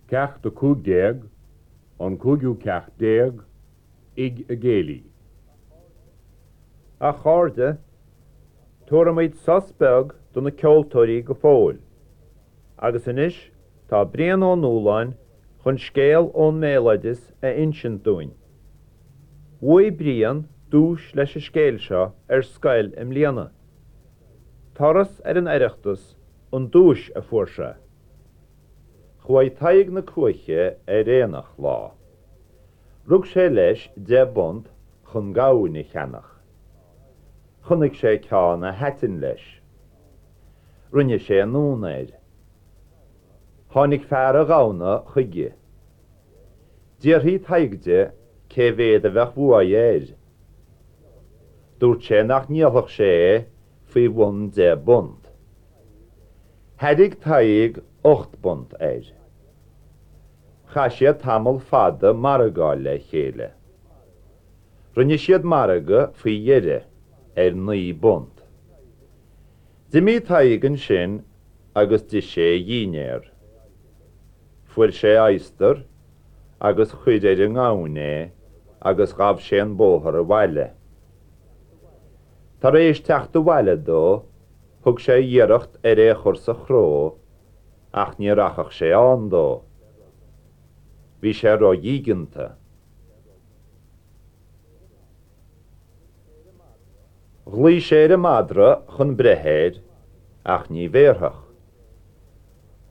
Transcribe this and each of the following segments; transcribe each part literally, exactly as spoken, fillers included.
Ceacht a cúig déag, an cúigiú ceacht déag, Tigh an Chéilí. A chairde, tabharfaimid sos beag do na ceoltóirí go fóill. Agus anois tá Brian Ó Nualláin chun scéal ón mbéaloideas a insint dúinn. Bhuaigh Brian duais leis an scéal seo ar scoil i mbliana. Turas ar an Oireachtas an duais a fuair sé. Chuaigh Tadhg na Cuaiche ar aonach lá. Rug sé leis deich bpunt chun gamhain a cheannach. Chonaic sé ceann a thaitin leis. Rinne sé anonn air. Tháinig fear an ghamhna chuige. D'fhiafraigh Tadhg de cé mhéad a bheadh uaidh air. Dúirt sé nach ndíolfadh sé é faoi bhun deich bpunt. Thairg Tadhg ocht bpunt air. Chaith siad tamall fada ag margáil le chéile. Rinne siad margadh faoi dheireadh ar naoi bpunt. D'imigh Tadhg ansin agus d'ith sé a dhinnéar. Fuair sé adhastar agus chuir ar an ngamhain é agus ghabh sé an bóthar abhaile. Tar éis teacht abhaile dó, thug sé iarracht ar é a chur sa chró ach ní rachadh sé ann dó. Bhí sé ródhígeanta. Ghlaoigh sé ar an madra chun breith air ach ní bhéarfadh.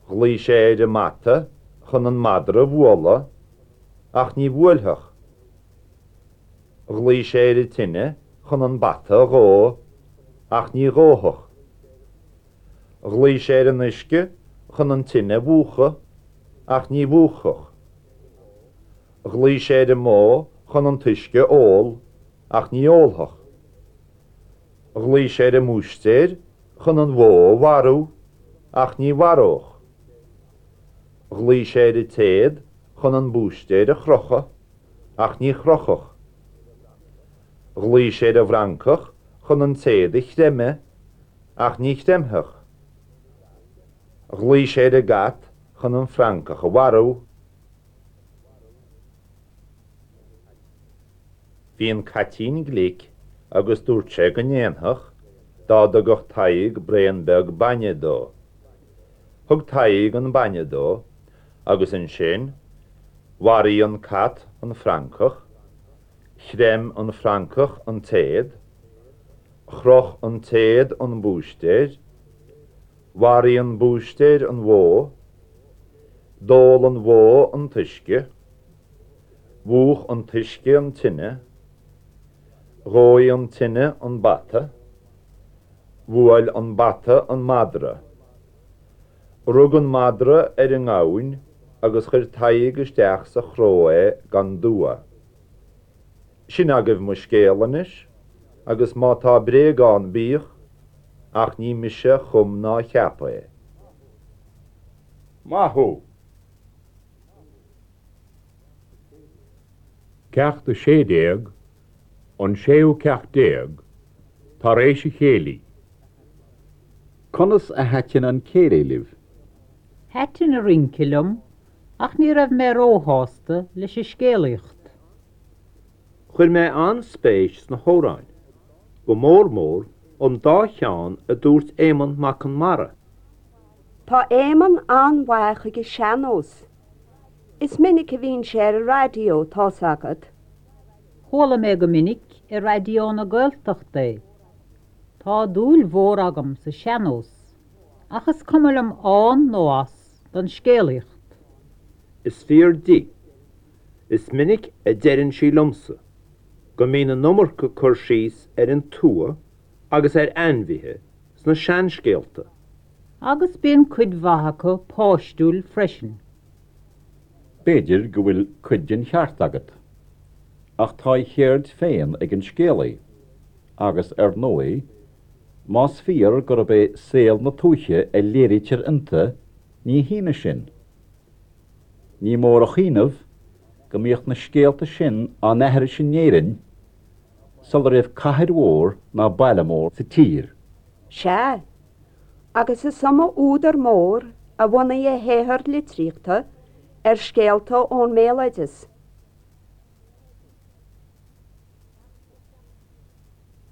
Ghlaoigh sé ar an mbata chun an madra a bhualadh ach ní bhuailfeadh. Ghlaoigh sé ar an tine chun an bata a dhó ach ní dhófadh. Ghlaoigh sé ar an uisce chun an tine a mhúchadh ach ní mhúchfadh. Ghlaoigh sé ar an mbó chun an t-uisce a ól ach ní ólfadh. Ghlaoigh sé ar an mbúistéir chun an bhó a mharú ach ní mharódh. Ghlaoigh sé ar an téad chun an búistéir a chrochadh ach ní chrochfadh. Ghlaoigh sé ar an bhfrancach chun an téad a chreimeadh ach ní chreimfeadh. Ghlaoigh sé ar an gcat chun an francach a mharú. Bhí an caitín glic agus dúirt sé go ndéanfadh dá dtugadh Tadhg braon beag bainne dó. Thug Tadhg an bainne dó agus ansin mharaigh an cat an francach, chreim an francach an téad, chroch an téad an búistéir, mharaigh an búistéir an bhó, d'ól an bhó an t-uisce, mhúch an t-uisce an tine, dhóigh an tine an bata, bhuail an bata an madra. Rug an madra ar an ngamhain agus chuir Tadhg isteach sa chró é gan dua. Sin agaibh mo scéal anois, agus má tá bréag ann bíodh, ach ní mise a chum ná a cheap é. Maith thú! Ceacht a sé déag, an séú ceacht déag, Tar éis an chéilí. Conas a thaitin an céilí libh? Thaitin an rince liom ach ní raibh mé róshásta leis an scéalaíocht. Chuir mé an-spéis sna hamhráin, go mór mór an dá cheann a dúirt Éamonn Mac Con Mara. Tá Éamonn an-mhaith ag an sean-nós. Is minic a bhíonn sé ar an raidió tá's agat. Chuala mé go minic i Raidió na Gaeltachta é. Tá dúil mhór agam sa sean-nós, ach is cuma liom ann nó as don scéalaíocht. Is fíor di. Is minic a deireann sí liomsa go mbíonn an iomarca cur síos ar an tuath agus ar ainmhithe sna seanscéalta. Agus bíonn cuid mhaith acu páistiúil freisin. B'fhéidir go bhfuil cuid den cheart agat, ach tá a cheird féin ag an scéalaí, agus ar ndóigh, más fíor gurb é saol na tuaithe a léirítear iontu, ní hionadh sin. Ní mór a chuimhneamh go mbíodh na scéalta sin á n-aithris in Éirinn sula raibh cathair mhór ná baile mór sa tír. Sea, agus is iomaí údar mór a bhunaigh a shaothar litríochta ar scéalta ón mbéaloideas.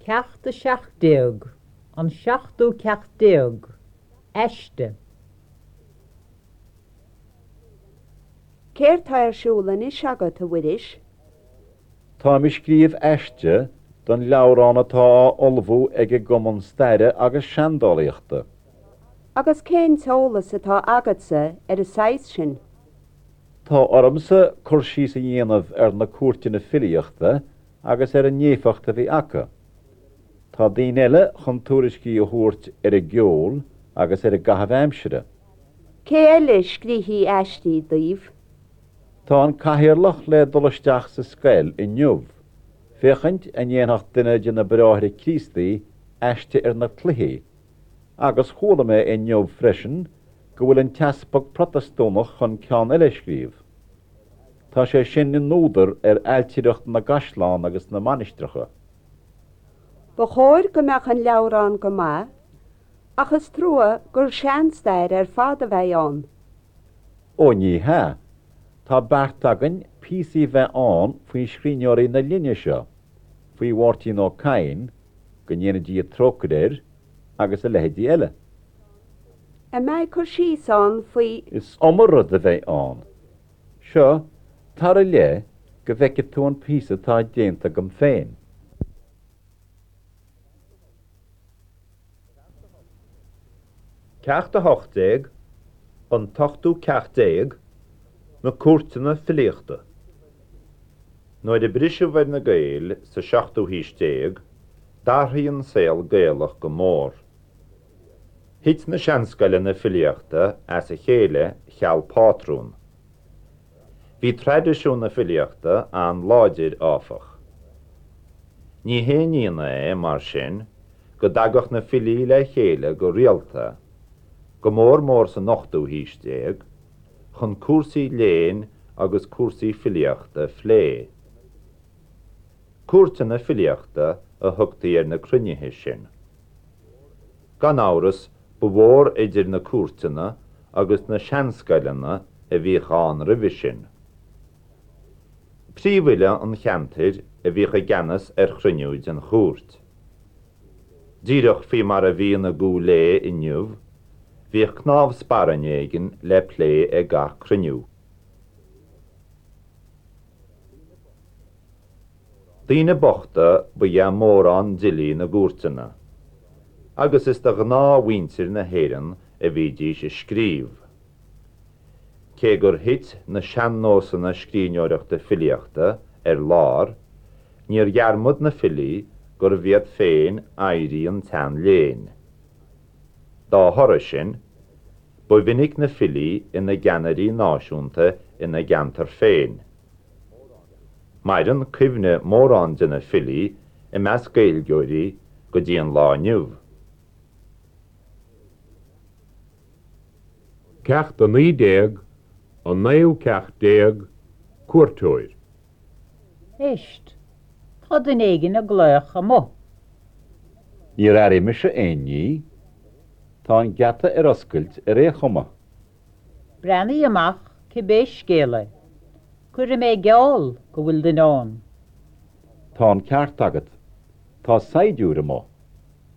Ceacht a seacht déag, an seachtú ceacht déag, Aiste. Céard tá ar siúl anois agat, a Mhuiris? Táim ag scríobh aiste don leabhrán atá á ullmhú ag an gCumann Staire agus Seandálaíochta. Agus cén t-eolas atá agatsa ar an saghas sin? Tá ormsa cur síos a dhéanamh ar na cúirteanna filíochta agus ar an éifeacht a bhí acu. Tá daoine eile chun tuairiscí a thabhairt ar an gceol agus ar an gcaitheamh aimsire. Cé eile a scríobfaidh aistí daoibh? Tá an cathaoirleach le dul isteach sa scoil inniu, féachaint an ndéanfadh duine de na Bráithre Críostaí aiste ar na cluichí, agus chuala mé inniu freisin go bhfuil an t-easpag Protastúnach chun ceann eile a scríobh. Tá sé sin ina údar ar ailtireacht na gcaisleán agus na mainistreacha. Ba chóir go mbeadh an leabhrán go maith, ach is trua gur seanstair ar fad a bheidh ann. Ó ní hea, tá beart againn píosaí bheith ann faoi scríbhneoirí na linne seo, faoi Mháirtín Ó Cadhain, go ndéana Dia trócaire air, agus a leithéidí eile. An mbeidh cur síos ann faoi. Is iomaí rud a bheidh ann. Seo, tar i leith go bhfeicfidh tú an píosa atá déanta agam féin. Ceacht a hocht déag, An t-ochtú ceacht déag, Na cúirteanna filíochta. Nuair a briseadh ar na Gaeil sa seachtú haois déag, d'athraigh an saol Gaelach go mór. Thit na seanscoileanna filíochta as a chéile cheal pátrún. Bhí traidisiún na filíochta an-láidir, áfach. Ní haon ionadh é, mar sin, go dtagadh na filí le chéile go rialta, go mór mór san ochtú haois déag, chun cúrsaí léinn agus cúrsaí filíochta a phlé. Cúirteanna filíochta a thugtaí ar na cruinnithe sin. Gan amhras, ba mhór idir na cúirteanna agus na seanscoileanna a bhíodh ann roimhe sin. Príomhfhile an cheantair a bhíodh i gceannas ar chruinniú den chúirt. Díreach faoi mar a bhíonn i gCúil Aodha inniu, bhíodh cnámh sparainne éigin le plé ag gach cruinniú. Daoine bochta ba ea mórán d'fhilí na gcúirteanna, agus is do ghnáthmhuintir na hÉireann a bhídís ag scríobh. Cé gur thit na sean-nósanna scríbhneoireachta filíochta ar lár, níor dhearmad na filí gurbh iad féin oidhrí an tsean-léinn. Dá thoradh sin, ba mhinic na filí ina gceannairí náisiúnta ina gceantar féin. Maireann cuimhne mórán de na filí i measc Gaeilgeoirí go dtí an lá inniu. Ceacht a naoi déag, An naoú ceacht déag, Cuairteoir. Éist, tá duine éigin ag glaoch amuigh. Níor airigh mise aon ní. Tá an geata ar oscailt ar aon chuma. Breathnaigh amach cibé scéal é. Cuirfidh mé geall go bhfuil duine ann. Tá an ceart agat. Tá saighdiúir amuigh.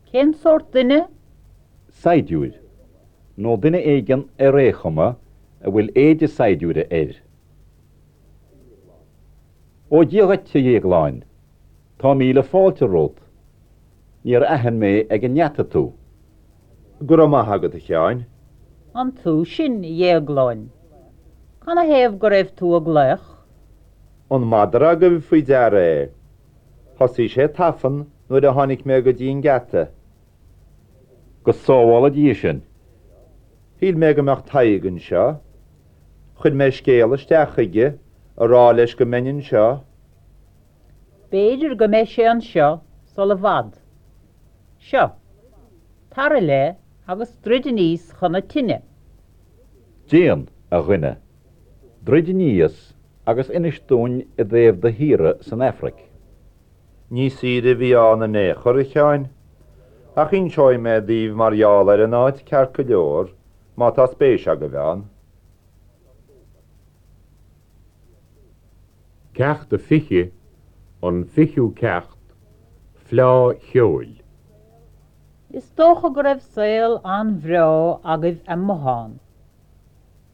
Cén sórt duine? Saighdiúir. Nó duine éigin ar aon chuma a bhfuil éide saighdiúra air. Ó Dia dhuit, a Dhéagláin. Tá míle fáilte romhat. Níor aithin mé ag an ngeata tú. Go raibh maith agat, a Sheáin. An tú sin, a Dhéagláin? Canathaobh go raibh tú ag glaoch? An madra agaibh faoi deara é? Thosaigh sé ag tafann nuair a tháinig mé go dtí an geata. Go sábhála Dia sinn. Shíl mé go mbeadh Tadhg anseo. Chuir mé scéal isteach chuige a rá leis go mbeinn anseo. B'fhéidir go mbeidh sé anseo sul i bhfad. Seo, tar i leith agus druid aníos chun na tine. Déan, a dhuine. Druid aníos agus inis dúinn i dtaobh do shaoire san Afraic. Ní saoire a bhí ann in aon chor, a Sheáin. Ach inseoidh mé daoibh mar gheall ar an áit ceart go leor, má tá spéis agaibh ann. Ceacht a fiche, an fichiú ceacht, Fleá Cheoil. Is dócha go raibh saol an-bhreá agaibh amuigh ann.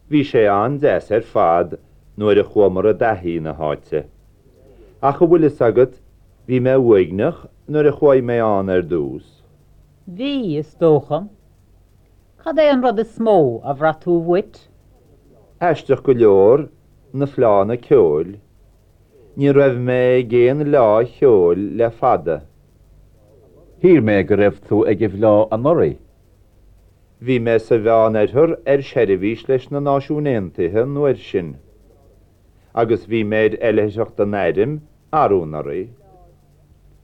Bhí sé an-deas ar fad nuair a chuamar i dtaithí na háite. Ach an bhfuil fhios agat, bhí mé uaigneach nuair a chuaigh mé ann ar dtús. Bhí, is dócha. Cad é an rud is mó a bhraith tú uait? Aisteach go leor, na fleánna ceoil. Ní raibh mé ag aon fhleá cheoil le fada. Shíl mé go raibh tú ag an bhfleá anuraidh. Bhí mé sa Mheánoirthear ar seirbhís leis na Náisiúin Aontaithe an uair sin. Agus bhí mé ar oilithreacht an airm arú anuraidh.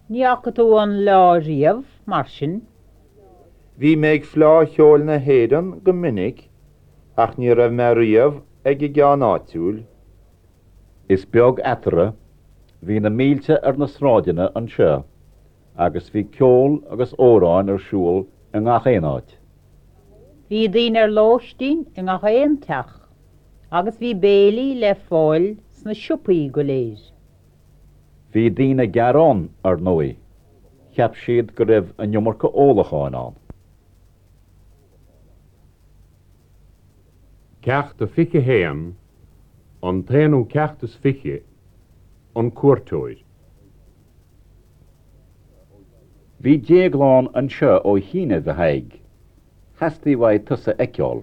Ní fhaca tú an fhleá riamh, mar sin? Bhí mé ag Fleá Cheoil na hÉireann go minic, ach ní raibh mé riamh ag an gceann áitiúil. Is beag eatarthu, bhí na mílte ar na sráideanna anseo, agus bhí ceol agus amhráin ar siúl i ngach aon áit. Bhí daoine ar lóistín i ngach aon teach, agus bhí béilí le fáil sna siopaí go léir. Bhí daoine ag gearán, ar ndóigh. Cheap siad go raibh an iomarca ólacháin ann. Ceacht a fiche haon, an t-aonú ceacht is fiche, an cuairteoir. Bhí Déaglán anseo ó chianaibh, a Thaidhg. Theastaigh uaidh tusa a fheiceáil.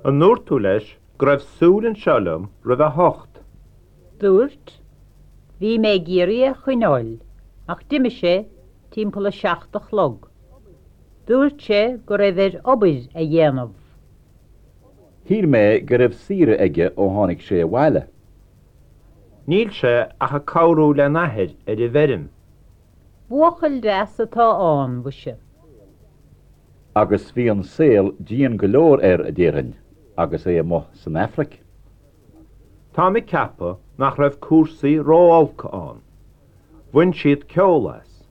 An ndúirt tú leis go raibh súil anseo liom roimh a hocht? Dúirt. Bhí mé ag iarraidh é a choinneáil, ach d'imigh sé timpeall a seacht a chlog. Dúirt sé go raibh air obair a dhéanamh. Shíl mé go raibh saoire aige ó tháinig sé abhaile. Níl sé ach ag cabhrú lena athair ar an bhfeirm. Buachaill deas atá ann, mhuise. Agus bhí an saol dian go leor air, a déarfainn, agus é amuigh san Afraic. Táim ag ceapadh nach raibh cúrsaí ró-olc ann. Bhain siad ceol as,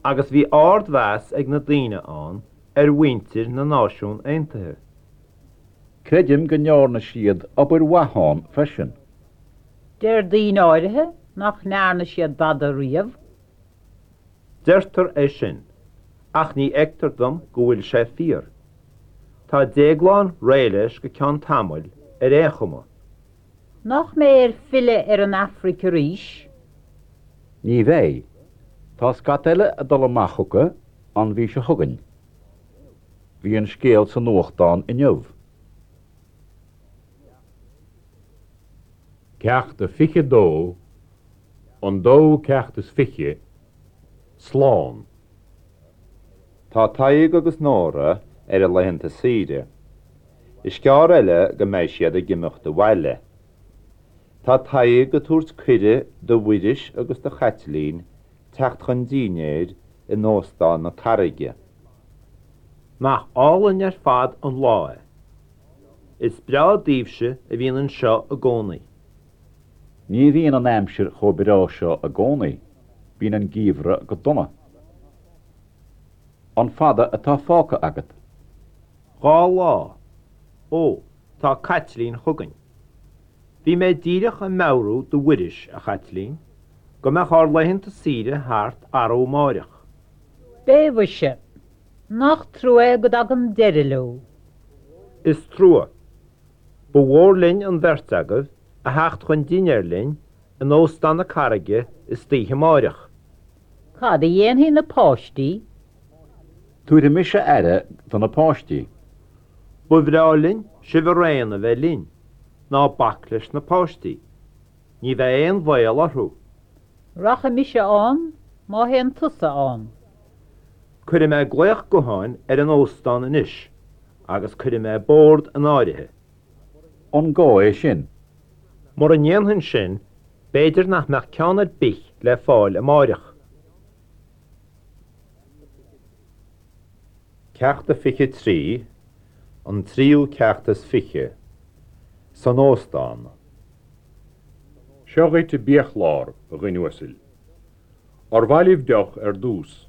agus bhí ardmheas ag na daoine ann ar mhuintir na Náisiún Aontaithe. Creidim go ndearna siad obair mhaith ann freisin. Deir daoine áirithe nach ndearna siad dada riamh. Deirtear é sin, ach ní fheictear dom go bhfuil sé fíor. Tá Déaglán réidh leis go ceann tamaill ar aon chuma. Nach mbeidh air filleadh ar an Afraic arís? Ní bheidh. Tá scata eile ag dul amach chucu an mhí seo chugainn. Bhí an scéal sa nuachtán inniu. Ceacht a fiche dó, an dóú ceacht is fiche, Slán. Tá Tadhg agus Nóra ar a laethanta saoire. Is gearr eile go mbeidh siad ag imeacht abhaile. Tá Tadhg ag tabhairt cuireadh do Mhuiris agus do Chaitlín teacht chun dinnéir in Óstán na Carraige. Nach álainn ar fad an lá é. Is breá daoibhse a bhíonn anseo i gcónaí. Ní bhíonn an aimsir chomh breá seo i gcónaí. Bíonn an geimhreadh go dona. An fada atá fágtha agat? Dhá lá. Ó, tá Caitlín chugainn. Bhí mé díreach ag meabhrú do Mhuiris, a Chaitlín, go mbeadh ár laethanta saoire thart arú amáireach. Beidh, mhuise. Nach trua é go dtagann deireadh leo. Is trua. Ba mhór linn an bheirt agaibh a theacht chun dinnéir linn in Óstán na Carraige istoíche amáireach. Cad a dhéanfaidh na páistí? Tabharfaidh mise aire do na páistí. Ba bhreá linn sibh araon a bheith linn. Ná bac leis na páistí. Ní bheidh aon bhaol orthu. Rachaidh mise ann má théann tusa ann. Cuirfidh mé glaoch gutháin ar an óstán anois agus cuirfidh mé bord in áirithe. An gá é sin? Mura ndéanfainn sin, b'fhéidir nach mbeadh ceann ar bith le fáil amáireach. Ceacht a fiche trí, an tríú ceacht is fiche, san óstán. Seo dhuit an biachlár, a dhuine uasail. Ar mhaith libh deoch ar dtús?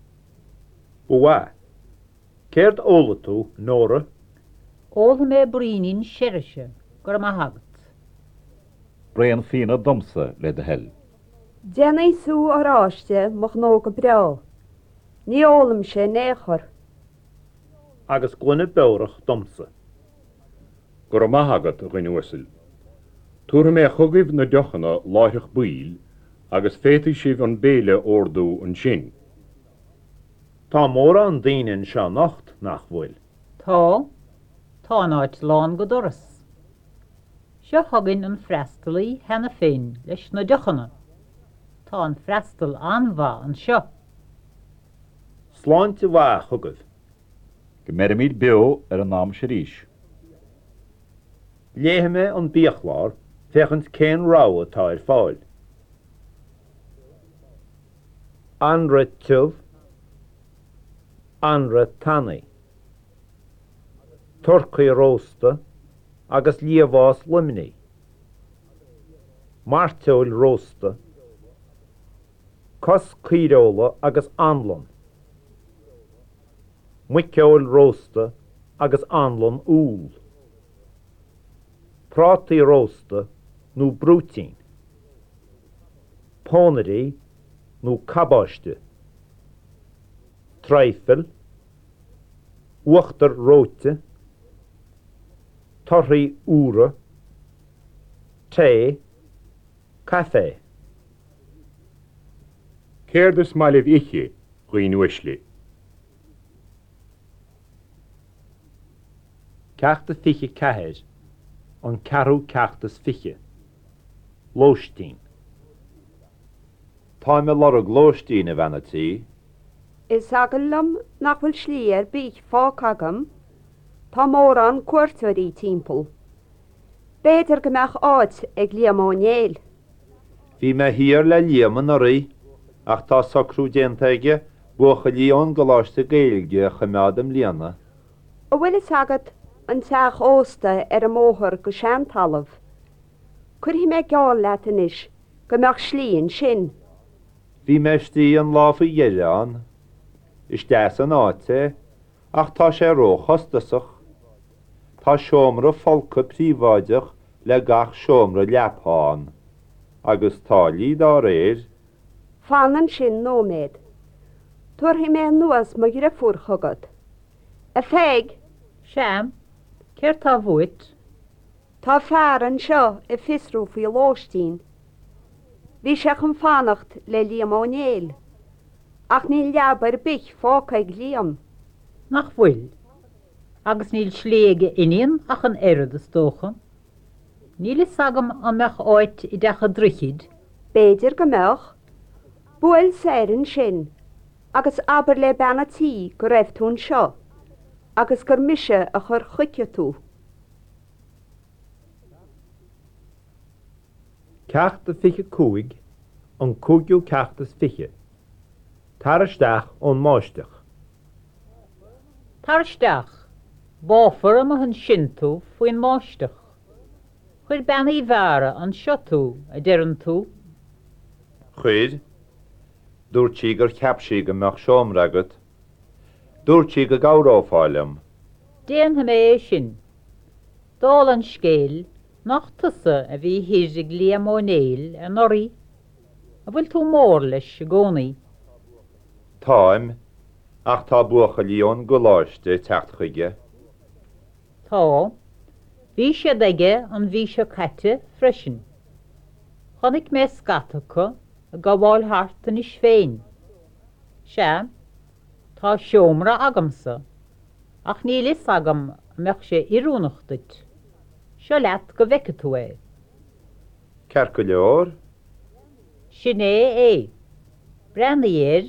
Ba mhaith. Céard a ólfaidh tú, Nóra? Ólfaidh mé braoinín seirise, go raibh maith agat. Braon fíona domsa, le do thoil. Déanfaidh sú oráiste mo ghnó go breá. Ní ólaimse in aon chor. Agus gloine beorach domsa. Go raibh maith agat, a dhuine uasail. Tabharfaidh mé chugaibh na deochanna láithreach baill agus féadfaidh sibh an béile a ordú ansin. Tá mórán daoine anseo anocht, nach bhfuil? Tá. Tá an áit lán go doras. Seo chugainn an freastalaí cheana féin leis na deochanna. Tá an freastal an-mhaith anseo. Sláinte mhaith chugaibh. Go mbeirimid beo ar an am seo arís. Léifidh mé an biachlár féachaint cén rogha atá ar fáil. Anraith tiubh, anraith tanaí, turcaí rósta agus liamhás Luimnigh, mairteoil rósta, cos caoireola agus anlann, muiceoil rósta agus anlann úll, prátaí rósta nó brúitín, pónairí nó cabáiste, traidhfil, uachtar reoite, torthaí úra, tae, caife. Céard is maith libh ithe, a dhaoine uaisle? Ceacht a fiche ceathair, an ceathrú ceacht is fiche. Lóistín. Táim ag lorg lóistín, a bhean a' tí. Is eagal liom nach bhfuil slí ar bith fágtha agam. Tá mórán cuairteoirí timpeall. B'fhéidir go mbeadh áit ag Liam Ó Néill. Bhí mé thiar le Liam anuraidh ach tá socrú déanta aige buachaillí ón gColáiste Gaeilge a choimeád i mbliana. An bhfuil fhios agat an teach ósta ar an mbóthar go Seantalamh? Cuirfidh mé geall leat anois go mbeadh slí ansin. Bhí mé istigh an lá faoi dheireadh ann. Is deas an áit é, ach tá sé róchostasach. Tá seomra folctha príobháideach le gach seomra leapa ann, agus táillí dá réir. Fan ansin nóiméad. Tabharfaidh mé anuas mo dheirfiúr chugat. A Pheig! Sea, céard tá uait? Tá fear anseo ag fiosrú faoi lóistín. Bhí sé chun fanacht le Liam Ó Néill. Ach níl leaba ar bith fágtha ag Liam. Nach bhfuil? Agus níl slí ag a iníon ach an oiread is dócha. Níl fhios agam an mbeadh áit i dTeach an Droichid. B'fhéidir go mbeadh. Buail soir ansin agus abair le bean a' tí go raibh tú anseo agus gur mise a chuir chuici tú. Ceacht a fiche cúig, an cúigiú ceacht is fiche. Tar isteach ón mbáisteach. Tar isteach. Báfar amuigh ansin tú faoin mbáisteach. Chuir Bean Uí Mheára anseo tú, a deireann tú. Chuir. Dúirt sí gur cheap sí go mbeadh seomra agat. Dúirt sí go gcabhrófá liom. Déanfaidh mé é sin. Dála an scéil, nach tusa a bhí thoir ag Liam Ó Néill anuraidh? An bhfuil tú mór leis i gcónaí? Táim, ach tá buachaillí ón gcoláiste ag teacht chuige. Tá. Bhí siad aige an mhí seo caite freisin. Chonaic mé scata acu ag gabháil thart anois féin. Sea, tá seomra agamsa, ach níl fhios agam an mbeadh sé oiriúnach duit. Seo leat go bhfeice tú é. Ceart go leor? Sin é é. Breathnaigh air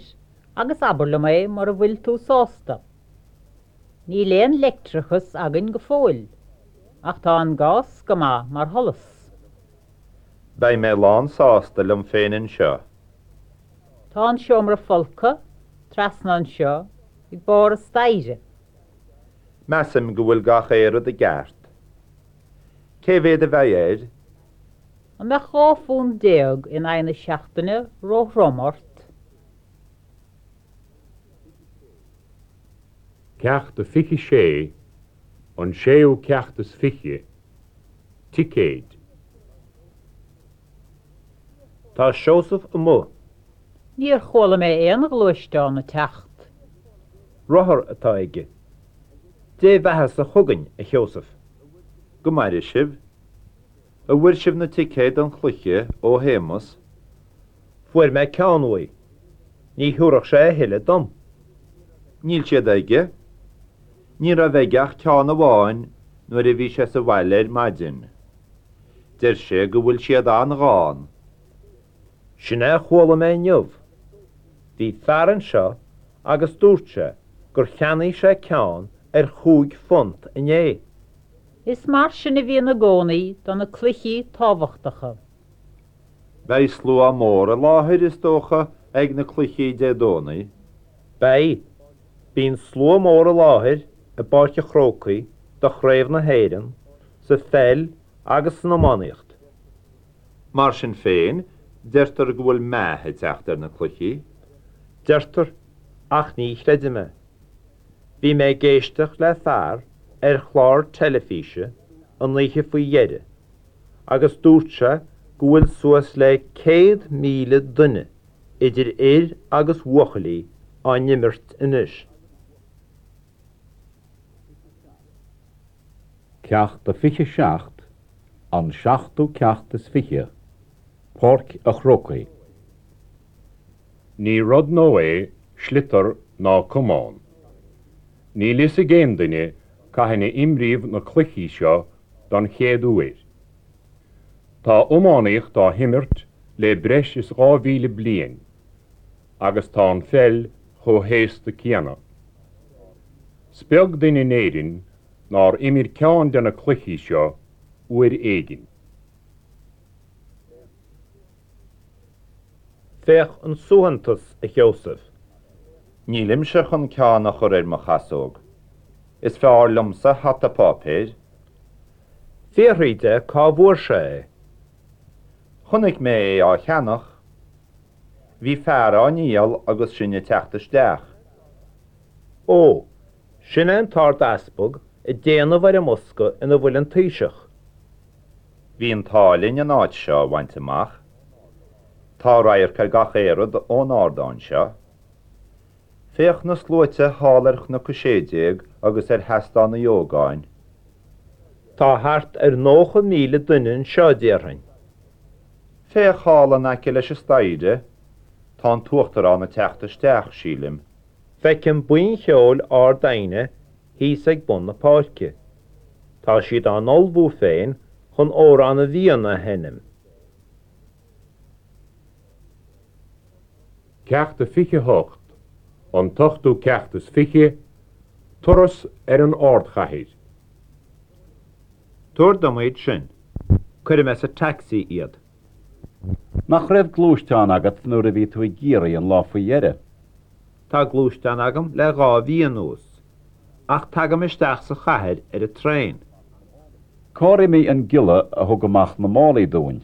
agus abair liom é mura bhfuil tú sásta. Níl aon leictreachas againn go fóill, ach tá an gás go maith mar sholas. Beidh mé lán sásta liom féin anseo. Tá an seomra folctha trasna anseo ag barr an staighre. Measaim go bhfuil gach aon rud i gceart. Cé mhéad a bheidh air? An mbeadh dhá phunt déag in aghaidh na seachtaine róthrom ort? Ceacht a fiche sé, an séú ceacht is fiche, Ticéid. Tá Seosamh amuigh. Níor chuala mé aon ghluaisteán ag teacht. Rothar atá aige. Dé bheatha chugainn, a Sheosaimh. Go maire sibh. An bhfuair sibh na ticéid don chluiche ó Shéamus. Fuair mé ceann uaidh. Ní thabharfadh sé a thuilleadh dom. Níl siad aige. Ní raibh aige ach ceann amháin nuair a bhí sé sa bhaile ar maidin. Deir sé go bhfuil siad an-ghann. Sin é a chuala mé inniu. Bhí fear anseo agus dúirt sé gur cheannaigh sé ceann ar chúig phunt inné. Is mar sin a bhíonn i gcónaí do na cluichí tábhachtacha. Beidh slua mór i láthair is dócha ag na cluichí Dé Domhnaigh. Beidh, bíonn slua mór i láthair i bPáirc an Chrócaigh do Chraobh na hÉireann, sa pheil agus san iománaíocht. Mar sin féin, deirtear go bhfuil meath ag teacht ar na cluichí. Deirtear, ach ní chreidim é. Bhí mé ag éisteacht le fear ar chlár teilifíse an oíche faoi dheireadh, agus dúirt sé go bhfuil suas le céad míle duine idir fhir agus bhuachaillí á n-imirt anois. Ceacht a fiche seacht, an seachtú ceacht is fiche, Páirc an Chrócaigh. Ní rud nua é sliotar ná camán. Níl fhios ag aon duine cathain a imríodh na cluichí seo don chéad uair. Tá iománaíocht á himirt le breis is dhá mhíle bliain, agus tá an pheil chomh haosta céanna. Is beag duine in Éirinn nár imir ceann de na cluichí seo uair éigin. Féach an suaitheantas, a Sheosaimh. Nílimse chun ceann a chur ar mo chasóg. Is fearr liomsa hata páipéir. Fiafraigh de cá bhfuair sé é. Chonaic mé é á cheannach. Bhí fear á ndíol agus sinn ag teacht isteach. Ó, sin é an tArd-Easpag ag déanamh ar an mbosca ina bhfuil an Taoiseach. Bhí an t-ádh linn an áit seo a bhaint amach. Tá radharc ar gach aon rud ón ardán seo. Féach na sluaite thall ar Chnoc a sé déag agus ar Sheastán Uí Ógáin. Tá thart ar nócha míle duine anseo, déarfainn. Féach thall in aice leis an staighre, tá an tUachtarán ag teacht isteach, sílim. Feicim buíon cheoil Ard Aidhne thíos ag bun na páirce. Tá siad á n-ullmhú féin chun Amhrán na bhFiann a sheinm. Ceacht a fiche hocht, an t-ochtú ceacht is fiche, turas ar an ardchathair. Tabhair dom iad sin. Cuirfidh mé sa taxi iad. Nach raibh gluaisteán agat nuair a bhí tú i gCiarraí an lá faoi dheireadh? Tá gluaisteán agam le dhá mhí anuas, ach tagaim isteach sa chathair ar an traein. Cár imigh an giolla a thug amach na málaí dúinn?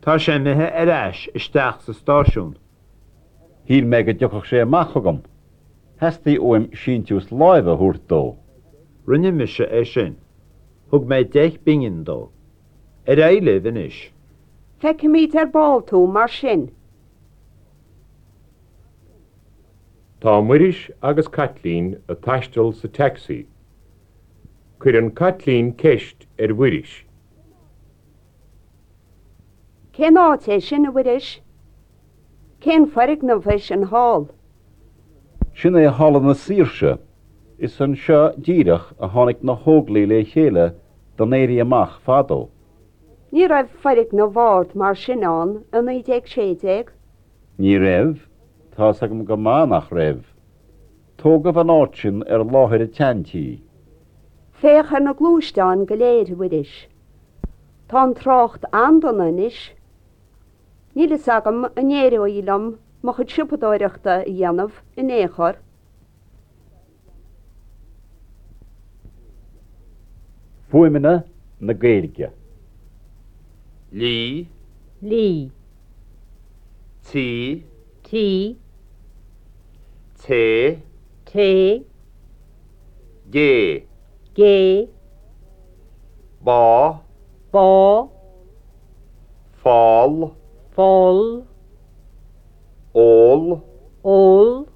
Tá sé imithe ar ais isteach sa stáisiún. Shíl mé go dtiocfadh sé amach chugam. Theastaigh uaim síntiús láimhe a thabhairt dó. Rinne mise é sin. Thug mé deich bpingin dó. Ar aghaidh libh anois. Feicfimid ar ball tú mar sin. Tá Muiris agus Caitlín ag taisteal sa taxi. Cuireann Caitlín ceist ar Mhuiris. Cén áit é sin, a Mhuiris? Cén foirgneamh é sin thall? Sin é Halla na Saoirse. Is anseo díreach a tháinig na hÓglaigh le chéile don Éirí Amach fadó. Ní raibh foirgneamh ard mar sin ann i naoi déag sé déag? Ní raibh, tá's agam go maith nach raibh. Tógadh an áit sin ar láthair an tseantí. Féach ar na gluaisteáin go léir, a Mhuiris. Tá an trácht an-dona anois. Níl fhios agam an éireoidh liom mo chuid siopadóireachta a dhéanamh in aon chor. Fuaimeanna na Gaeilge. Lí. Lí. Tí. Tí. Té. Té. Gé. Gé. Bá. Bá. Fál. Fál Ól Ól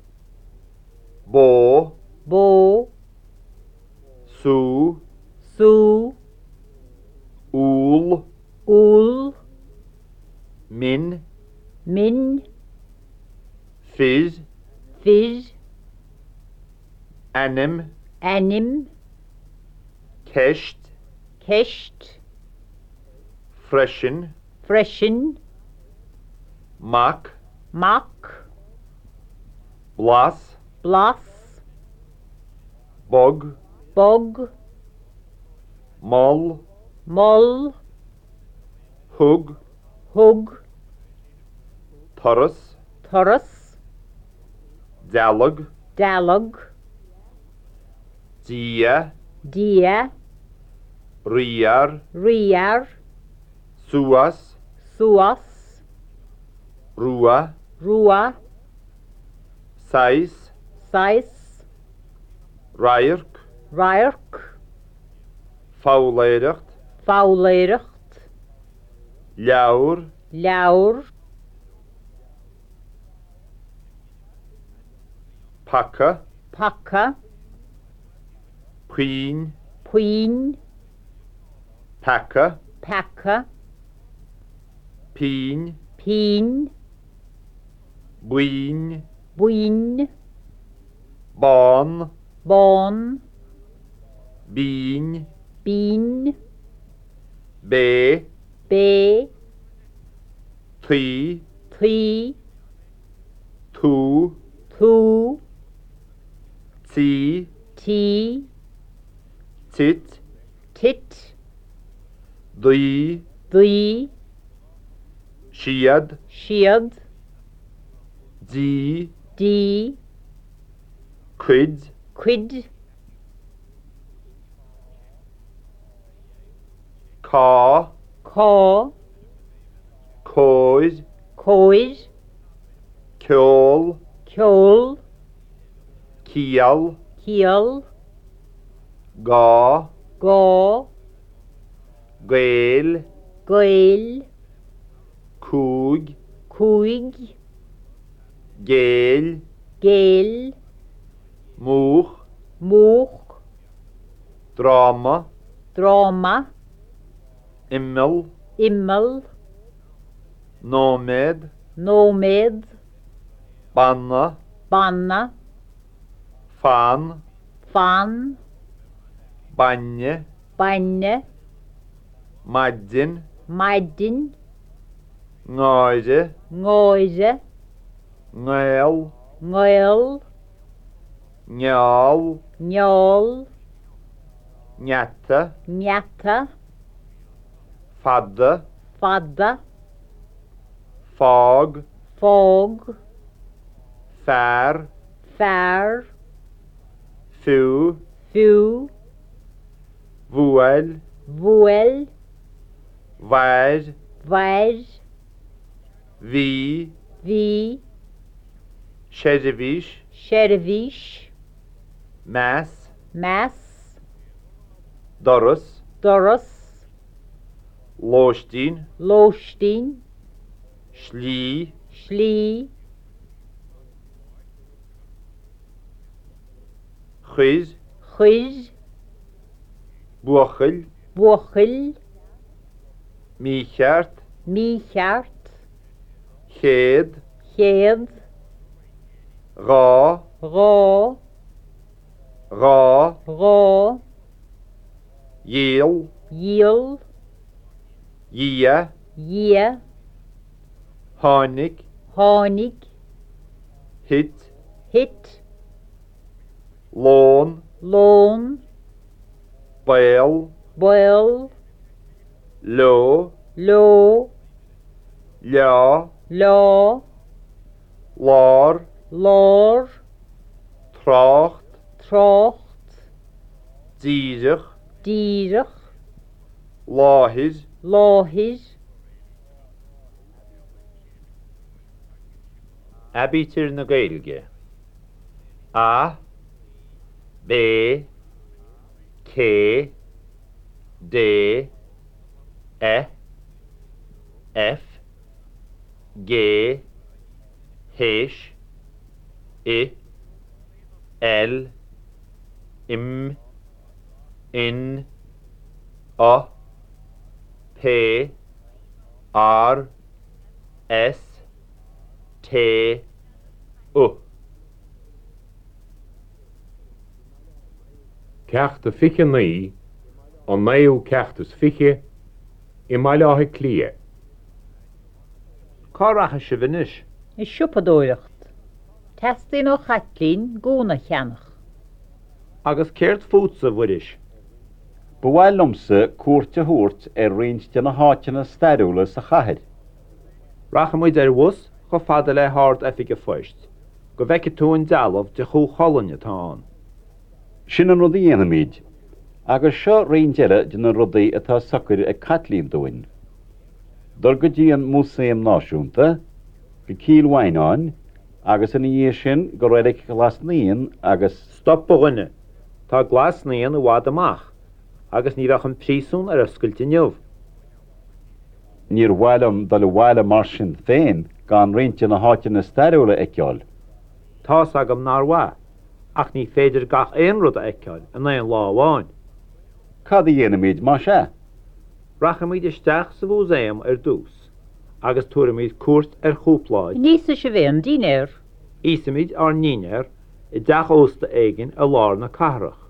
Bó Bó Sú Sú Úll Úll Min Min Fir Fir Ainm Ainm Ceist Ceist Freisin Freisin Mac Mac Blas Blas Bog Bog Mol Mol Thug Thug Turas Turas Dealg Dealg Dia Dia Riar Riar Suas Suas Rua Rua Saghas Saghas Radharc Radharc Foghlaeireacht Foghlaeireacht Leabhar Leabhar Paca Paca Puinn Puinn Peaca Peaca Pínn Pínn Buin Buin Bán Bán Binn Binn Bé Bé Tuí Tuí Tú Tú Tí Tí Tit Tit Daoi Daoi Siad Siad Dí Dí Cuid Cuid Cá Cá Cóir Cóir Ceol Ceol Ciall Ciall Gá Gá Gael Gael Cúig Cúig Géill Géill Múch Múch Dráma Dráma Imeall Imeall Nóiméad Nóiméad Banna Banna Fan Fan Bainne Bainne Maidin Maidin Náire Náire Ngaol Ngaol Ngeall Ngeall Ngeata Ngeata Fada Fada Fág Fág Fear Fear Fiú Fiú Bhuail Bhuail Mhair Mhair Bhí Bhí Seirbhís Seirbhís Meas Meas Doras Doras Lóistín Lóistín Slí Slí Chuir Chuir Buachaill Buachaill Mícheart Mícheart Céad Céad Dhá Dhá Dhá Dhá Dhíol Dhíol Dhia Dhia Tháinig Tháinig Thit Thit Lón Lón Baol Baol Leo Leo Leá Lá Lár Lár Trácht Trácht Díreach Díreach Láthair Láthair Aibítir na Gaeilge A B C D E F G H I L M N O P R S T U. Ceacht a fiche naoi, an naoú ceacht is fiche, i mBaile Átha Cliath. Cá rachaidh sibh anois? Ag siopadóireacht. Teastaíonn ó Chaitlín gúna a cheannach. Agus céard fútsa, a Mhuiris? Ba mhaith liomsa cuairt a thabhairt ar roinnt de na háiteanna stairiúla sa chathair. Rachaimid ar bhus chomh fada le hArd-Oifig an Phoist, go bhfeicfidh tú an dealbh de Chú Chulainn atá ann. Sin an rud a dhéanfaimid, agus seo roinnt eile de na rudaí atá socair ag Caitlín dúinn. Dul go dtí an Músaem Náisiúnta, go Cill Mhaighneáin, agus ina dhiaidh sin go Reilig Ghlas Naíon agus. Stop, a dhuine! Tá Glas Naíon i bhfad amach, agus ní bheadh an príosún ar oscailt inniu. Níor mhaith liom dul abhaile mar sin féin gan roinnt de na háiteanna stairiúla a fheiceáil. Tá's agam nár mhaith, ach ní féidir gach aon rud a fheiceáil in aon lá amháin. Cad a dhéanfaimid más ea? Rachaimid isteach sa mhúsaem ar dtús agus tabharfaimid cuairt ar chúpla áit. An íosfaidh sibh aon dinnéar? Íosfaimid ár ndinnéar i dteach ósta éigin i lár na cathrach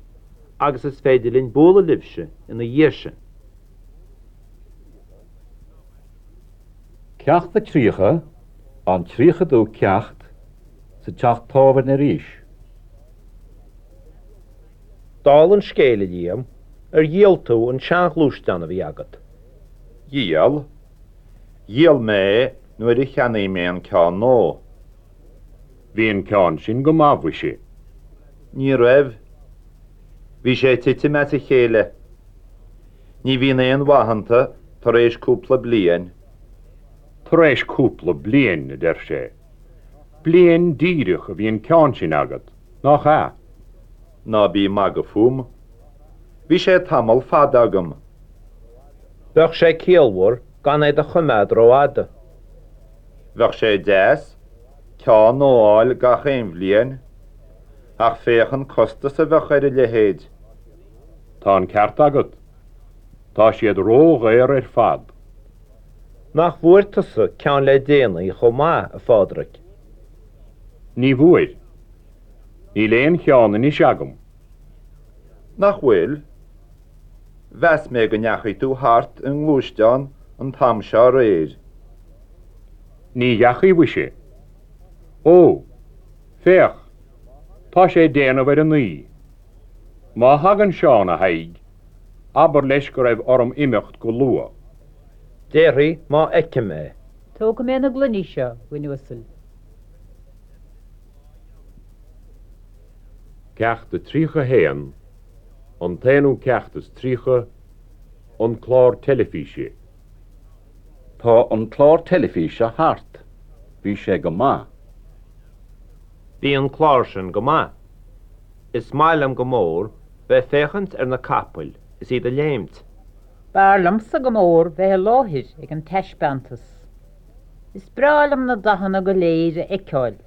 agus is féidir linn bualadh libhse ina dhiaidh sin. Ceacht a tríocha, an tríochadú ceacht, sa teach tábhairne arís. Dála an scéil, a Liam, ar dhíol tú an seanghluaisteán a bhí agat? Dhíol. Dhíol mé é nuair a cheannaigh mé an ceann nua. Bhí an ceann sin go maith, mhuise. Ní raibh. Bhí sé ag titim as a chéile. Ní bhíonn aon mhaith iontu tar éis cúpla bliain. Tar éis cúpla bliain, a deir sé. Bliain díreach a bhí an ceann sin agat, nach ea? Ná bí ag magadh fúm. Bhí sé tamall fada agam. Bheadh sé ciallmhar gan é do choimeád rófhada. Bheadh sé deas ceann nua a fháil gach aon bhliain, ach féach an costas a bheadh ar a leithéid. Tá an ceart agat. Tá siad ródhaor ar fad. Nach bhfuair tusa ceann le déanaí chomh maith, a Phádraig? Ní bhfuair. Níl aon cheann anois agam. Nach bhfuil? Mheas mé go ndeachaigh tú thart i ngluaisteán an t-am seo aréir. Ní dheachaigh, mhuise. Ó, féach, tá sé ag déanamh ar a naoi. Má thagann Seán, a Thaidhg, abair leis go raibh orm imeacht go luath. Déarfaidh má fheicim é. Tógfaidh mé na gloiní seo, a dhuine uasail. Ceacht a tríocha haon, an t-aonú ceacht is tríocha, an clár teilifíse. Tá an clár teilifíse thart. Bhí sé go maith. Bhí an clár sin go maith. Is maith liom go mór bheith ag féachaint ar na capaill is iad ag léimt. B'fhearr liomsa go mór bheith i láthair ag an taispeántas. Is breá liom na dathanna go léir a fheiceáil.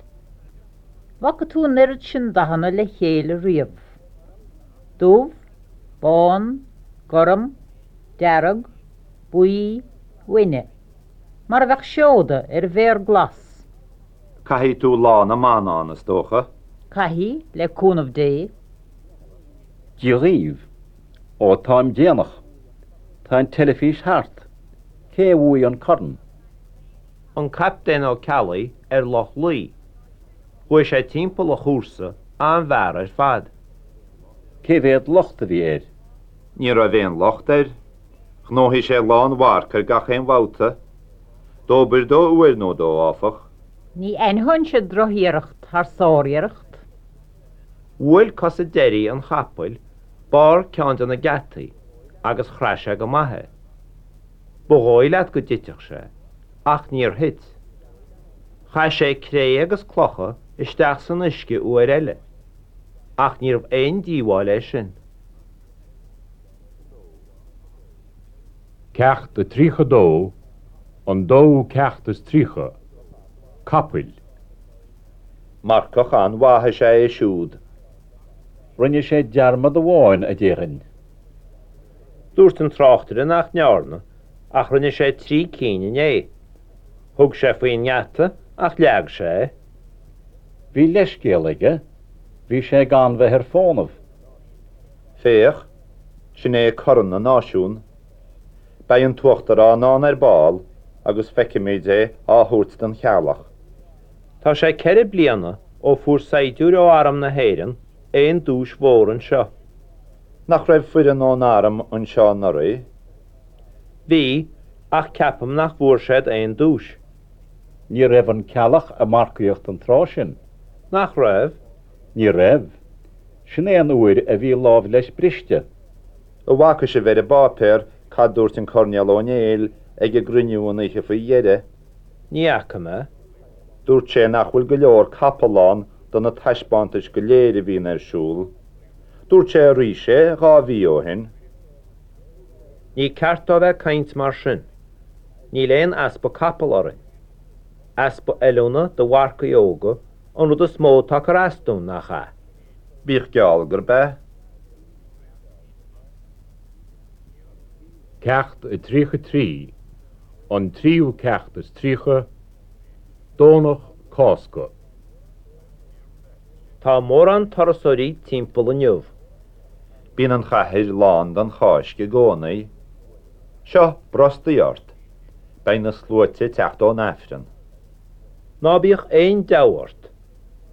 Bhfaca tú an oiread sin dathanna le chéile riamh? Dubh, bán, gorm, dearg, buí, uaine. Mar a bheadh seoda ar mhéar glas. Caithfidh tú Lá na mBan ann, is dócha? Caithfidh, le cúnamh Dé. Dia dhaoibh. Ó, táim déanach. Tá an teilifís thart. Cé a bhuaigh an corn? An Captaen Ó Ceallaigh ar Loch Lao. Chuaigh sé timpeall an chúrsa an-mhear ar fad. Cé mhéad locht a bhí air? Ní raibh aon locht air. Ghnóthaigh sé lánmharc ar gach aon bhabhta. Dóbair dó uair nó dó, áfach. Ní aithneoinnse drochiarracht thar sáriarracht. Bhuail cosa deiridh an chapaill barr ceann de na geataí agus chraith sé go maith é. Ba dhóigh leat go dtitfeadh sé, ach níor thit. Chaith sé cré agus clocha isteach san uisce uair eile, ach níorbh aon díobháil é sin. Ceacht a tríocha dó, an dóú ceacht is tríocha, Capaill. Marcach an-mhaith is ea é siúd. Rinne sé dearmad amháin, a déarfainn. Dúirt an tráchtaire nach ndearna, ach rinne sé trí cinn inné. Thug sé faoin ngeata ach leag sé é. Bhí leithscéal aige, bhí sé gan bheith ar fónamh. Féach, sin é Corn na Náisiún. Beidh an tUachtarán ann ar ball agus feicfimid é á thabhairt don Cheallach. Tá sé ceithre bliana ó fuair saighdiúir ó Arm na hÉireann aon duais mhór anseo. Nach raibh foireann ón arm anseo anuraidh? Bhí, ach ceapaim nach bhfuair siad aon duais. Ní raibh an Ceallach ag marcaíocht an tráth sin. Nach raibh? Ní raibh. Sin é an uair a bhí lámh leis briste. An bhfaca sibh ar an bpáipéar cad dúirt an Coirnéal Ó Néill ag an gcruinniú an oíche faoi dheireadh? Ní fhaca mé. Dúirt sé nach bhfuil go leor capall ann do na taispeántais go léir a bhíonn ar siúl. Dúirt sé arís é dhá mhí ó shin. Ní ceart dó bheith ag caint mar sin. Níl aon easpa capall orainn. Easpa oiliúna do mharcaigh óga an rud is mó atá ag cur as dúinn, nach ea? Bíodh geall gurb ea. Ceacht a tríocha trí, an tríú ceacht is tríocha, Domhnach Cásca. Tá mórán turasóirí timpeall inniu. Bíonn an chathair lán don Cháisc i gcónaí. Seo, brostaigh ort. Beidh na sluaite ag teacht ón Aifreann. Ná bíodh aon deabhadh ort.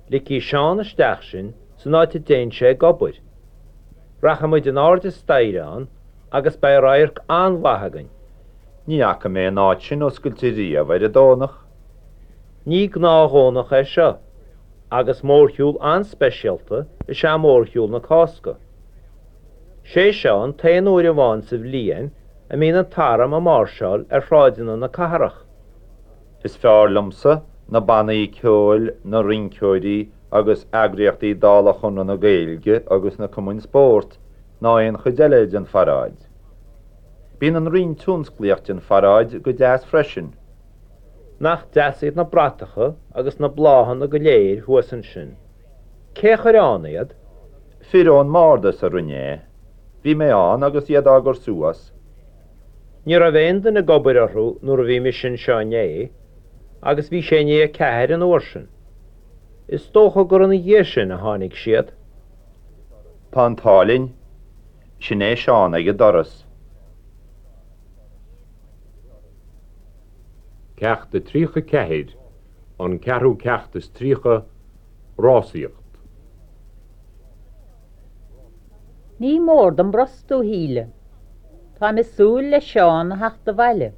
Ligfidh Seán isteach sinn san áit a dtéann sé ag obair. Rachaidh muid in airde staighre ann agus beidh radharc an-mhaith againn. Ní fhaca mé an áit sin oscailte riamh ar an Domhnach. Ní gnáthdhomhnach é seo, agus mórshiúl an-speisialta is ea mórshiúl na Cásca. Sé seo an t-aon uair amháin sa bhliain a mbíonn an t-arm ag máirseáil ar shráideanna na cathrach. Is fearr liomsa na bannaí ceoil, na rinceoirí agus eagraíochtaí dála Chonradh na Gaeilge agus na cumainn spóirt ná aon chuid eile den pharáid. Bíonn an roinn tionsclaíoch den pharáid go deas freisin. Nach deas iad na bratacha agus na bláthanna go léir thuas ansin. Cé a chuir ann iad? Fir ón mbardas a rinne é. Bhí mé ann agus iad á gcur suas. Ní raibh aon duine ag obair orthu nuair a bhí mise anseo inné, agus bhí sé i ndiaidh a ceathair an uair sin. Is dócha gur ina dhiaidh sin a tháinig siad. Tá an t-ádh linn. Sin é Seán ag an doras. Ceacht a tríocha ceathair, an ceathrú ceacht is tríocha, Rásaíocht. Ní mór dom brostú, a Shíle. Táim ag súil le Seán a theacht abhaile.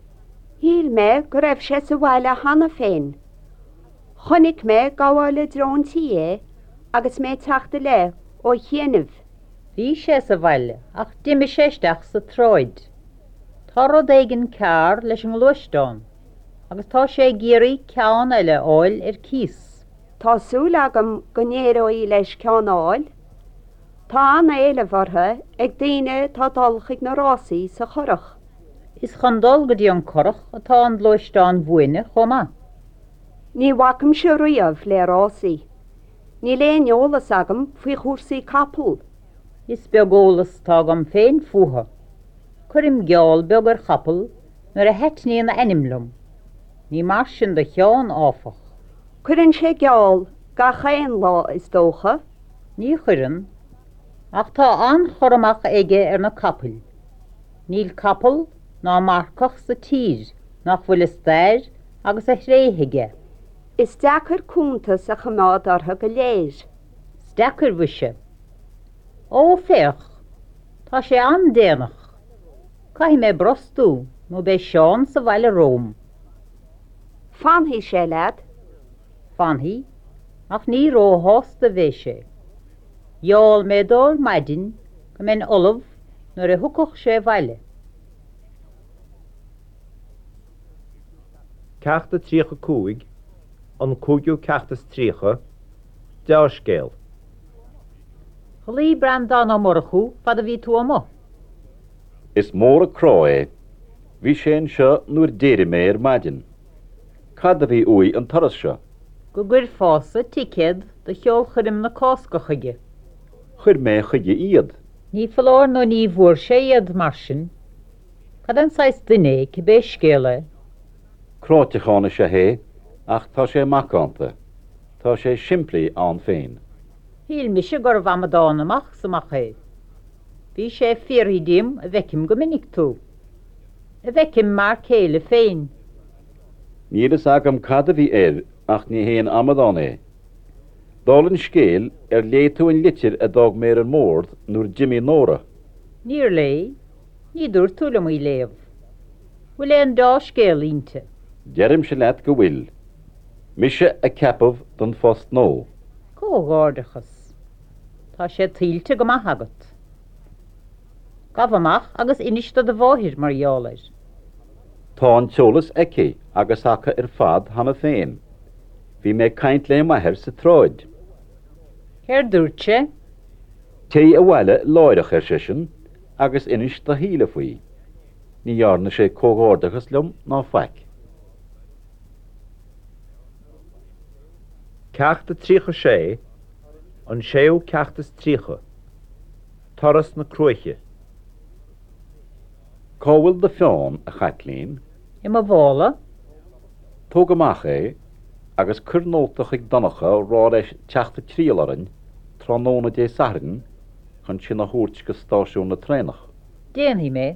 Shíl mé go raibh sé sa bhaile cheana féin. Chonaic mé ag gabháil i dtreo an tí é agus mé ag teacht i leith ó chianaibh. Bhí sé sa bhaile ach d'imigh sé isteach sa tsráid. Tá rud éigin cearr leis an ngluaisteán agus tá sé ag iarraidh ceann eile a fháil ar cíos. Tá súil agam go n-éireoidh leis ceann a fháil. Tá an-éileamh orthu ag daoine atá ag dul chuig na rásaí sa Churrach. Is chun dul go dtí an Currach atá an gluaisteán buaine chomh maith. Ní bhacaimse riamh le rásaí. Níl aon eolas agam faoi chúrsaí capall. Is beag eolas atá agam féin fúthu. Cuirim geall beag ar chapall nuair a thaitníonn a ainm liom. Ní mar sin do Sheán, áfach. Cuireann sé geall gach aon lá, is dócha. Ní chuireann, ach tá an-chur amach aige ar na capaill. Níl capall ná marcach sa tír nach bhfuil a stair agus a thréithe aige. Is deacair cuntas a choimeád orthu go léir. Is deacair, mhuise. Ó, féach, tá sé an-déanach. Caithfidh mé brostú nó beidh Seán sa bhaile romham. Fanfaidh sé leat. Fanfaidh, ach ní róshásta a bheidh sé. Gheall mé dó ar maidin go mbeinn ullamh nuair a thiocfadh sé abhaile. Ceacht a tríocha cúig, an cúigiú ceacht is tríocha, Deá-scéal. Ghlaoigh Breandán Ó Murchú fad a bhí tú amuigh. Is mór an crá é. Bhí sé anseo nuair d'éirigh mé ar maidin. Cad a bhí uaidh an turas seo? Go gcuirfeása ticéad do cheolchoirm na Cásca chuige. Chuir mé chuige iad. Ní foláir nó ní bhfuair sé iad mar sin. Cad é an saghas duine é cibé scéal é? Cráiteachán is ea é, ach tá sé macánta. Tá sé simplí ann féin. Shíl mise gurbh amadán amach is amach é. Bhí sé ag fiafraí díom an bhfeicim go minic tú. An bhfeicim m'fhear céile féin. Níl fhios agam cad a bhí air ach ní haon amadán é. Dála an scéil, ar léigh tú an litir a d'fhág mé ar an mbord nuair a d'imigh Nóra? Níor léigh. Ní dúirt tú liom í a léamh. Bhfuil aon dea-scéal inti? Deirimse leat go bhfuil. Mise a ceapadh don phost nua. Comhghairdeachas. Tá sé tuillte go maith agat. Gabh amach agus inis do do mháthair mar gheall air. Tá an t-eolas aici agus acu ar fad cheana féin. Bhí mé ag caint le m'athair sa tsráid. Céard dúirt sé? Téigh abhaile láithreach, ar seisean, agus inis do Shíle faoi. Ní dhearna sé comhghairdeachas liom ná faic. Ceacht a tríocha sé, an séú ceacht is tríocha. Turas na Cruaiche. Cá bhfuil do pheann, a Chaitlín? I mo mhála. Tóg amach é agus cuir nóta chuig Donncha á rá leis teacht ag triall orainn tráthnóna Dé Sathairn chun sinn a thabhairt go stáisiún na traenach. Déanfaidh mé.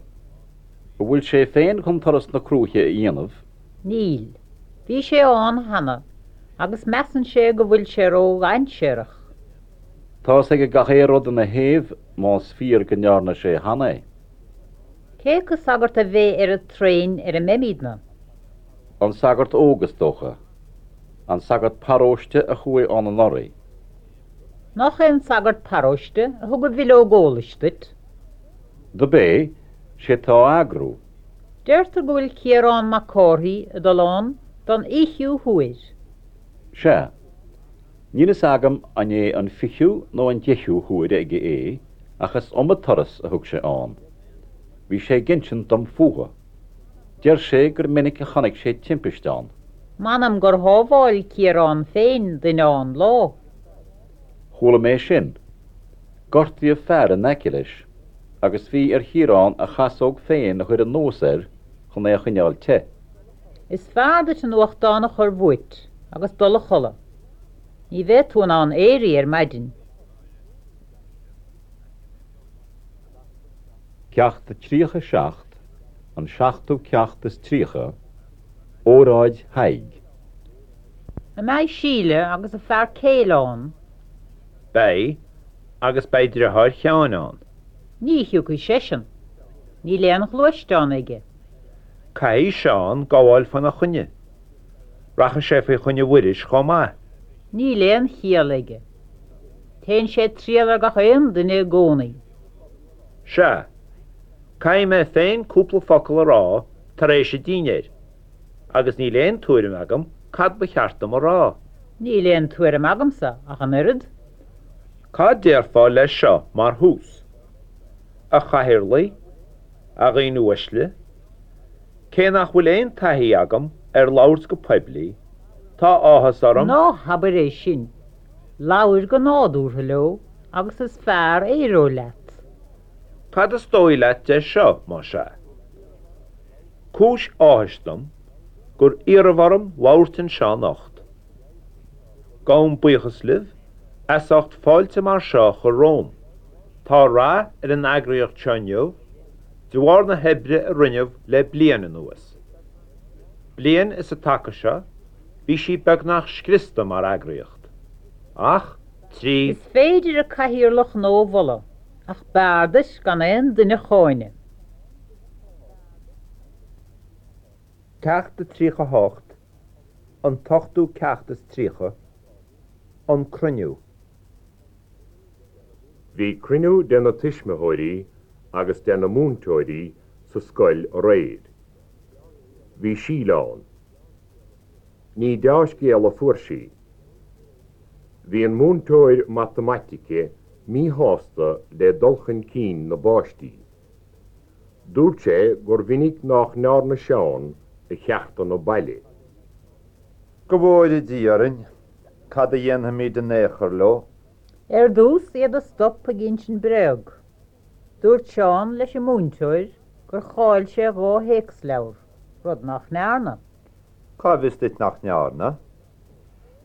An bhfuil sé féin chun turas na Cruaiche a dhéanamh? Níl. Bhí sé ann cheana agus measann sé go bhfuil sé ródhainséarach. Tá's aige gach aon rud ina thaobh más fíor go ndearna sé cheana é. Cé acu sagart a bheidh ar an traein ar a mbeimidne? An sagart óg is dócha. An sagart paróiste a chuaigh ann anuraidh. Nach é an sagart paróiste a thug an bhileog eolais duit? Dob é, sé atá á eagrú. Deirtear go bhfuil Ciarán Mac Cárthaigh ag dul ann don fhichiú huair. Sea. Níl fhios agam an é an fichiú nó an deichiú huair aige é, ach is iomaí turas a thug sé ann. Bhí sé ag insint dom fúthu. Deir sé gur minic a chonaic sé timpiste ann. M'anam gur shábháil Ciarán féin duine ann lá. Chuala mé sin. Gortaíodh fear in aice leis, agus bhí ar Chiarán a chasóg féin a chur anuas air chun é a choinneáil te. Is fearr duit an nuachtán a chur uait agus dul a chodladh. Ní bheidh tú in ann éirí ar maidin. Ceacht a tríocha seacht, an seachtú ceacht is tríocha, Óráid Thaidhg. An mbeidh Síle agus a fear céile ann? Beidh, agus beidh deartháir Sheáin ann. Ní thiocfaidh seisean. Níl aon ghluaisteán aige. Caithfidh Seán gabháil faoina choinne. Rachaidh sé faoi choinne Mhuiris chomh maith. Níl aon chiall aige. Téann sé ag triall ar gach aon duine i gcónaí. Sea. Caithfidh mé féin cúpla focal a rá tar éis an dinnéir, agus níl aon tuairim agam cad ba cheart dom a rá. Níl aon tuairim agamsa ach an oiread. Cad déarfá leis seo mar thús? A chathaoirligh, a dhaoine uaisle, cé nach bhfuil aon taithí agam ar labhairt go poiblí, tá áthas orm. Ná habair é sin. Labhair go nádúrtha leo agus is fearr a éireoidh leat. Cad is dóigh leat de seo, más ea? Cúis áthais dom gur iarradh orm labhairt anseo anocht. Gabhaim buíochas libh as ucht fáilte mar seo a chur romham. Tá rath ar an eagraíocht seo inniu de bharr na hoibre a rinneadh le bliain anuas. Bliain is an taca seo bhí sí beagnach scriosta mar eagraíocht. Ach trí. Is féidir an cathaoirleach nua a mholadh, ach b'fhearr duit gan aon duine a cháineadh. Ceacht a tríocha hocht, an t-ochtú ceacht is tríocha, An Cruinniú. Bhí cruinniú de na tuismitheoirí agus de na múinteoirí sa scoil aréir. Bhí Síle ann. Ní dea-scéal a fuair sí. Bhí an múinteoir matamaitice míshásta le dul chun cinn na bpáistí. Dúirt sé gur mhinic nach ndearna Seán a cheachtanna baile. Go bhfóire Dia orainn, cad a dhéanfaimid in aon chor leo? Ar dtús iad a stop ag insint bréag. Dúirt Seán leis an múinteoir gur chaill sé dhá théacsleabhar, rud nach ndearna. Cá bhfios duit nach ndearna?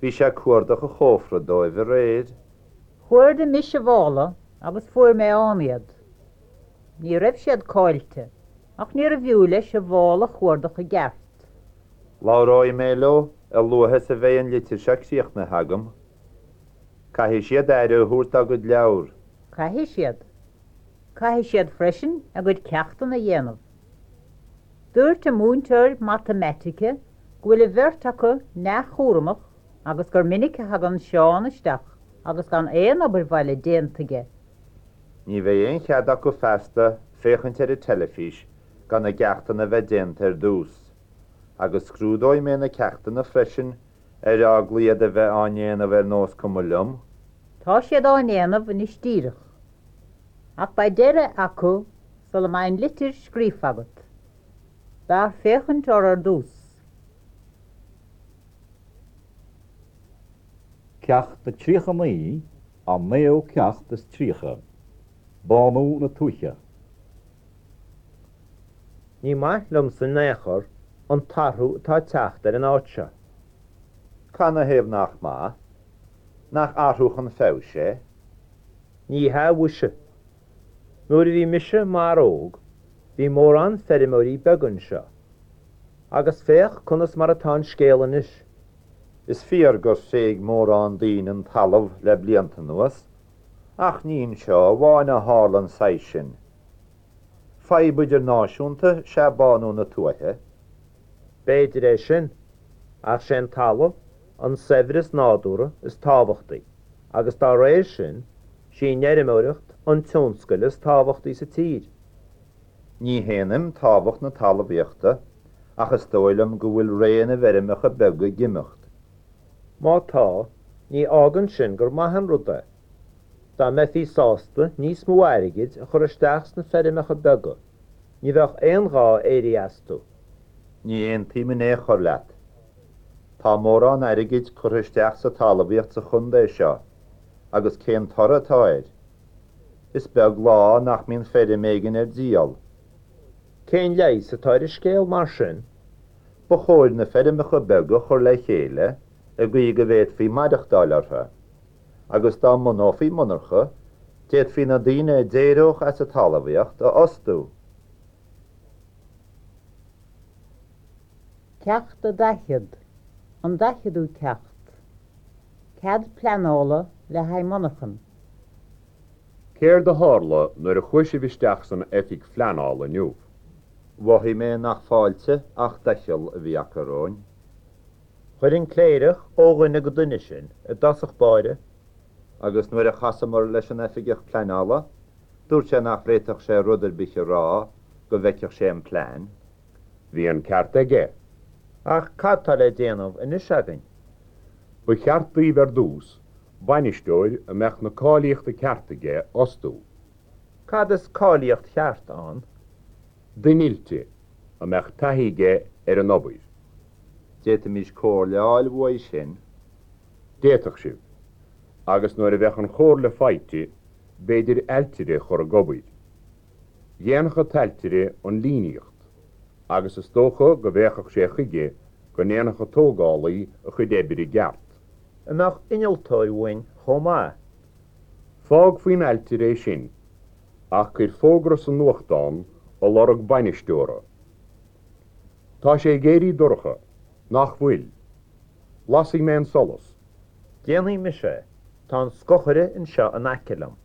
Bhí sé ag cuardach a chófra dóibh aréir. Chuardaigh mise a mhála agus fuair mé ann iad. Ní raibh siad caillte, ach níorbh fhiú leis a mhála a chuardach i gceart. Labhróidh mé leo a luaithe is a bheidh an litir seo críochnaithe agam. Caithfidh siad aire a thabhairt dá gcuid leabhar. Caithfidh siad. Caithfidh siad freisin a gcuid ceachtanna a dhéanamh. Dúirt an múinteoir matamaitice go bhfuil an bheirt acu neamhchúramach agus gur minic a thagann Seán isteach agus gan aon obair bhaile déanta aige. Ní bheidh aon chead acu feasta féachaint ar an teilifís gan a gceachtanna a bheith déanta ar dtús. Agus scrúdóidh mé na ceachtanna freisin ar eagla iad a bheith á ndéanamh ar nós cuma liom. Tá siad á ndéanamh anois díreach. Ach beidh deireadh acu sula mbeidh an litir scríofa agat. B'fhearr féachaint orthu ar dtús. Ceacht a tríocha naoi, an naoú ceacht is tríocha. Bánú na tuaithe. Ní maith liomsa in aon chor an t-athrú atá ag teacht ar an áit seo. Canathaobh nach maith? Nach athrú chun feabhais é? Ní hea mhuise. Nuair a bhí mise mar óg, bhí mórán feirmeoirí beaga anseo. Agus féach conas mar atá an scéal anois. Is fíor gur thréig mórán daoine an talamh le blianta anuas, ach ní anseo amháin a tharla an saghas sin. Fadhb idirnáisiúnta is ea bánú na tuaithe. B'fhéidir é sin, ach sé an talamh, an saibhreas nádúrtha is tábhachtaí, agus dá réir sin, sí an fheirmeoireacht an tionscal is tábhachtaí sa tír. Ní shéanaim tábhacht na talmhaíochta, ach is dóigh liom go bhfuil ré na bhfeirmeacha beaga ag imeacht. Má tá, ní fhágann sin gur maith an rud é. Dá mbeifí sásta níos mó airgid a chur isteach sna feirmeacha beaga, ní bheadh aon ghá éirí astu. Ní aontaím in aon chor leat. Tá mórán airgid curtha isteach sa talmhaíocht sa chontae seo, agus cén toradh atá air? Is beag lá nach mbíonn feirm éigin ar díol. Cén leigheas atá ar an scéal mar sin? Ba chóir na feirmeacha beaga a chur le chéile i gcaoi go bhféadfaí maireachtáil orthu, agus dá mbunófaí monarcha, d'fhéadfaí na daoine a d'éireodh as an talmhaíocht a fhostú. Ceacht a daichead, an daicheadú ceacht. Cead pleanála le haghaidh monarchan. Céard a tharla nuair a chuaigh sibh isteach san oifig phleanála inniu? Mhothaigh mé nach fáilte ach doicheall a bhí acu romhainn. Chuir an cléireach ó dhuine go duine sinn i dtosach báire. Agus nuair a chasamar leis an oifigeach pleanála, dúirt sé nach bhféadfadh sé rud ar bith a rá go bhfeicfeadh sé an plean. Bhí an ceart aige. Ach cad tá le déanamh anois againn? Ba cheart daoibh ar dtús bainisteoir a mbeadh na cáilíochtaí cearta aige a fhostú. Cad is cáilíocht cheart ann? Duine oilte a mbeadh taithí aige ar an obair. D'fhéadfaimis comhairle a fháil uaidh sin. D'fhéadfadh sibh. Agus nuair a bheadh an chomhairle faighte, b'fhéidir ailtire a chur ag obair. Dhéanfadh an t-ailtire an líníocht, agus is dócha go bhféachfadh sé chuige go ndéanfadh an tógálaí a chuid oibre i gceart. An mbeadh innealtóir uainn chomh maith? Fág faoin ailtire é sin, ach cuir fógra sa nuachtán ag lorg bainisteora. Tá sé ag éirí dorcha, nach bhfuil? Lasfaidh mé an solas. Déanfaidh mise é. Tá an scochaire anseo in aice liom.